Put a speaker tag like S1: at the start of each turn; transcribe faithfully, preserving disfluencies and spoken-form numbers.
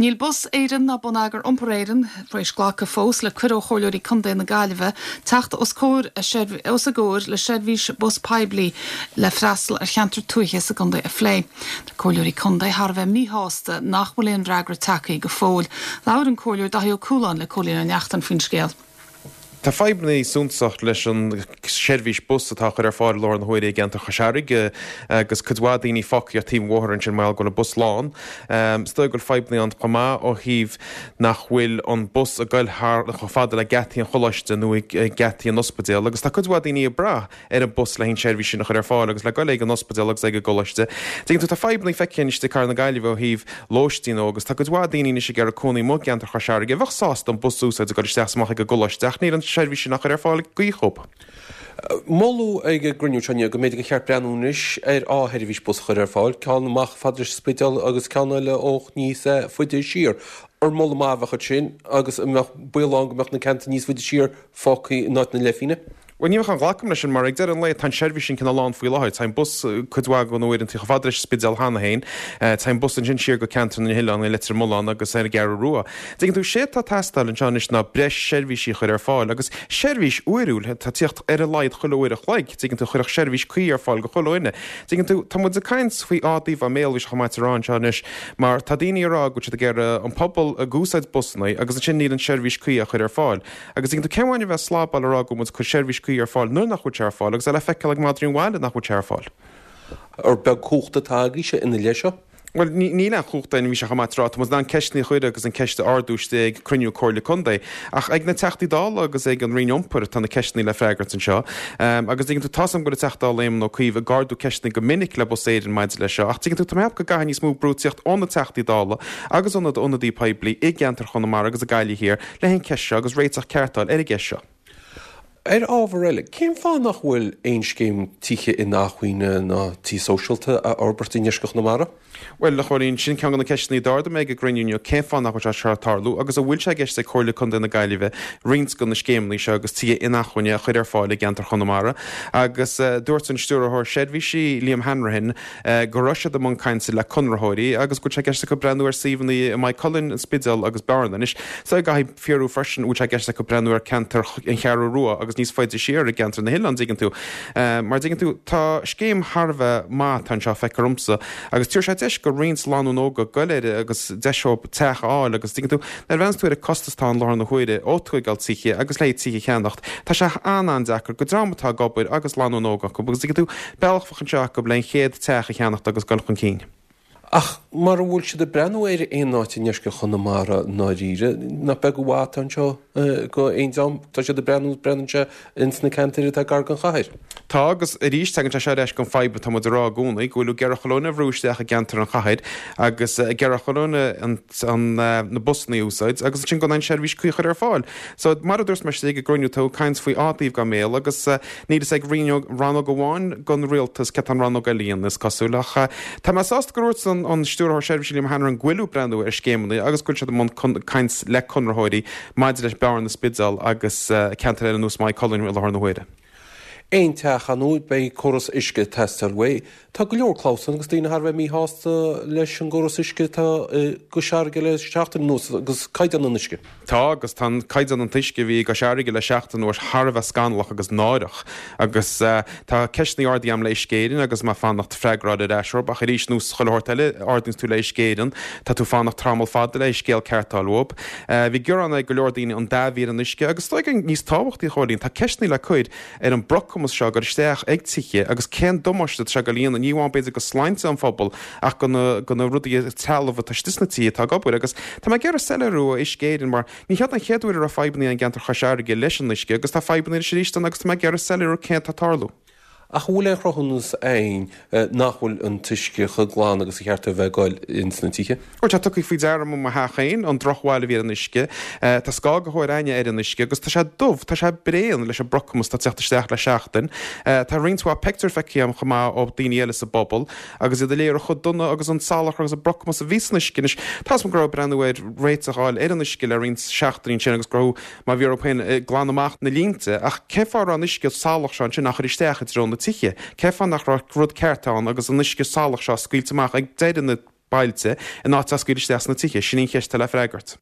S1: Níl Bus Éireann ná Bonneagar Iompair Éireann tar éis glacadh fós le cuireadh ó Chomhairleoirí Contae na Gaillimhe teacht os comhair os a gcomhair le seirbhís bus poiblí le freastal ar cheantar tuaithe sa gcontae a phlé. Tá Comhairleoirí Contae thar a bheith míshásta nach bhfuil aon fhreagra tagtha go fóill. Labhair an Comhairleoir Daithí Ó Cualáin le Cóilín Ó Neachtain faoin scéal.
S2: Tá fadhbanna suntasach leis an seirbhís bus atá chur ar fáil i láthair na huaire i gceantar Chois Fharraige agus cuid mhaith daoine fágtha ar taobh an bhóthair ansin mar go bhfuil an bus lán. Is dóigh go bhfuil fadhbanna ann chomh maith ó thaobh nach bhfuil an bus ag goil thar chomh fada le geataí an choláiste nó geataí an ospidéal agus tá cuid mhaith daoine ag brath ar an bus le an seirbhís sin a chur ar fáil agus le goil ag an ospidéal agus ag an gcoláiste. Tuigeann tú tá fadhbanna feicthe anois i gcathair na Gaillimhe ó thaobh lóistín agus tá cuid mhaith daoine anois ag iarraidh cónaí amuigh i gceantar Chois Fharraige a bheadh sásta an bus a úsáid ag goil isteach is amach ag an gcoláiste ach níl an seirbhís sin á chur ar fáil go cuí.
S3: Moladh ag an gcruinniú seo go mb'fhéidir gur cheart breathnú anois ar dhá sheirbhís bus a chur ar fáil, ceann amach fad leis an Spidéal agus ceann eile ó níos faide siar. Ar moladh maith a bheadh ansin agus an mbeadh baol ann go mbeadh na ceantair níos faide siar fágtha in áit na leithphingne?
S2: Bhuel, ní bheadh an ghlacaim leis sin mar ag deireadh an lae tá an seirbhís sin cineál lán faoi láthair. Tá an bus cuid mhaith den uaireanta chomh fada leis an Spidéal cheana féin. Tá an bus ansin siar go ceantar na nOileán, i Leitir Mealláin agus ar an gCeathrú Rua. Tuigeann tú, sé atá ag teastáil anseo anois ná breis seirbhísí a chur ar fáil agus seirbhís uairiúil atá ag tíocht ar a laghad chuile uair a chloig. Tuigeann tú, chuirfeadh seirbhís cuí ar fáil go chuile dhuine. Tuigeann tú, tá muid ag caint faoi dhá dtaobh an mbéal, bhí sé chomh maith a rá anseo anois, mar tá daoine ag rá go bhfuil siad ag iarraidh an pobal ag úsáid busanna agus ansin níl an seirbhís cuí á chur ar fáil. Agus tuigeann tú, cén mhaith a bheith ag slabáil ag rá go bhfuil muid ag cur seirbhís cuí ar fáil nuair nach bhfuil sé ar fáil agus é le feiceáil ag madraí an bhaile nach bhfuil sé ar fáil.
S3: Ar beag cumhacht atá agaibhse ina leith seo?
S2: Bhuel, níl aon chumhacht againn, bhí sé chomh maith tráth, tá muid in ann ceisteanna a chur agus an ceist a ardú istigh ag cruinniú Comhairle Contae, ach ag na Teachtaí Dála agus ag an Roinn Iompair atá na ceisteanna le freagairt anseo. Agus tuigeann tú, tá's agam go bhfuil an Teachta Dála Éamon Ó Cuív ag ardú ceisteanna go minic le Bus Éireann maidir leis seo, ach tuigeann tú, tá mé ag ceapadh go gcaithfidh níos mó brú tíocht ó na Teachtaí Dála agus ó na ionadaí poiblí i gceantar Chonamara agus i Gaillimh Thiar le an ceist seo agus réiteach ceart a fháil ar an gceist seo.
S3: Ar ábhar eile, cén fáth nach bhfuil aon scéim tithe inacmhainne ná tí sóisialta á fhorbairt i ndeisceart Chonamara?
S2: Bhuel, a Chóilín, sin ceann de na ceisteanna a d'ardaigh mé ag an gcruinniú inniu, cén fáth nach bhfuil sé seo ag tarlú agus an bhfuil sé i gceist ag Comhairle Contae na Gaillimhe roinnt de na scéimeanna seo agus tithe inacmhainne a chur ar fáil i gceantar Chonamara? Agus dúirt an Stiúrthóir Seirbhísí, Liam Hanrahan, go raibh siad i mbun cainte le conraitheoirí agus go bhfuil sé i gceist acu breathnú ar suíomhanna i Maigh Cuilinn, An Spidéal agus Bearna. Anois, so caithfidh fiosrú freisin an bhfuil sé i gceist acu breathnú ar ceantar an Cheathrú Rua agus níos faide siar i gceantar na hOileán, dtuigeann tú. Mar dtuigeann tú, tá scéim thar a bheith maith atá anseo, feictear domsa, agus tabharfaidh sé deis go roinnt lánúin óga goil air agus deis dóibh teach a fháil agus dtuigeann tú, nuair a bhreathnaíonn tú ar an costas atá ann i láthair na huaire ó tóigeáil tithe agus le tithe a cheannacht, tá sé an-an-deacair go dream atá ag obair agus lánúin óg acu agus dtuigeann tú, bealach a bheadh anseo acu le an chéad teach a cheannacht agus goil chun cinn.
S3: Ach mara bhfuil siad ag breathnú ar aon áit i ndeisceart Chonamara i ndáiríre, nach beag an mhaith atá anseo go aon dream, tá siad ag breathnú, breathnaíonn sé ins na ceantair atá gar don chathair.
S2: Tá, agus arís tagann sé seo ar ais don fadhb atá muid ag rá i gcónaí, go bhfuil ag iarraidh chuile dhuine a bhrú isteach i gceantar an chathair agus ag iarraidh chuile dhuine an, an, na busanna a úsáid agus ansin gan aon seirbhís cuí a chur ar fáil. So, mar a dúirt mé istigh ag an gcruinniú, tá caint faoi dhá taobh den mbéal agus níl fhios ag rannóg amháin den rialtas céard tá an rannóg eile a dhéanamh, is cosúil. Ach tá mé sásta gur dhúirt an Stiúrthóir Seirbhísí Liam Hanrahan go bhfuil ag breathnú ar scéimeanna agus go bhfuil siad i mbun caint le conraitheoirí maidir leis Bearna, Spidéal agus ceantair eile ar nós Maigh Cuilinn i láthair na huaire.
S3: Aon teach ar ndóigh, beidh córas uisce ag teastáil uaidh. Tá go leor clamhsán agus daoine thar a bheith míshásta leis an gcóras uisce atá i gCois Fharraige le seachtain anuas agus caighdeán an uisce.
S2: Tá, agus tá an caighdeán an t-uisce a bhí i gCois Fharraige le seachtain anuas thar a bheith scannalach agus náireach. Agus tá ceisteanna ardaithe agam le Uisce Éireann agus mé ag fanacht freagra a fháil ar ais orthu, ach arís, nós chuile shórt eile, ardaíonns tú le Uisce Éireann, tá tú ag fanacht tamall fada le scéal ceart a fháil uathu. Bhí gearán ag go leor daoine an dath a bhí ar an uisce agus is dóigh níos tábhachtaí, a Chóilín, tá ceisteanna le cur ar an bprocamas seo ag goil isteach ag tithe agus cén damáiste atá sé ag goil a dhéanamh, ní amháin b'fhéidir go sláinte an phobail ach go na go na rudaí trealamh atá istigh sna tithe atá ag obair agus tá mé ag iarraidh soiléiriú ó Uisce Éireann mar ní hiod an chéad uair a raibh fadhbanna i gceantar Chois Fharraige leis an uisce agus tá fadhbanna anois arís ann agus tá mé ag iarraidh soiléiriú cén atá ag tarlú.
S3: Ach an bhfuil aon chruthúnas againn nach bhfuil an t-uisce chomh glan agus a cheart a bheith ag goil ins na tithe?
S2: Bhuel, tá tugtha faoi deara agam i mo theach féin an drochbhail a bhí ar an uisce. Tá scagthóir againne ar an uisce agus tá sé dubh, tá sé bréan leis an bprocamas atá ag teacht isteach le seachtain. Tá roinnt mhaith pictiúr feicthe agam chomh maith ó daoine eile sa bpobal agus iad ag léiriú chomh dona agus an salachar agus an brocamas a bhí san uisce. Anois, tá's agam go raibh breathnú ar réiteach a fháil ar an uisce le roinnt seachtainí ansin agus go raibh Má bhí orthu féin ag glanadh amach na línte, ach cén fáth a raibh an uisce salach seo ansin á chur isteach i dtreo na tithe? Cén fáth nach raibh rud ceart ann agus an uisce salach seo scaoilte amach ag deireadh na bailte in áit a scaoileadh isteach sna tithe? Sin í an cheist atá le freagairt.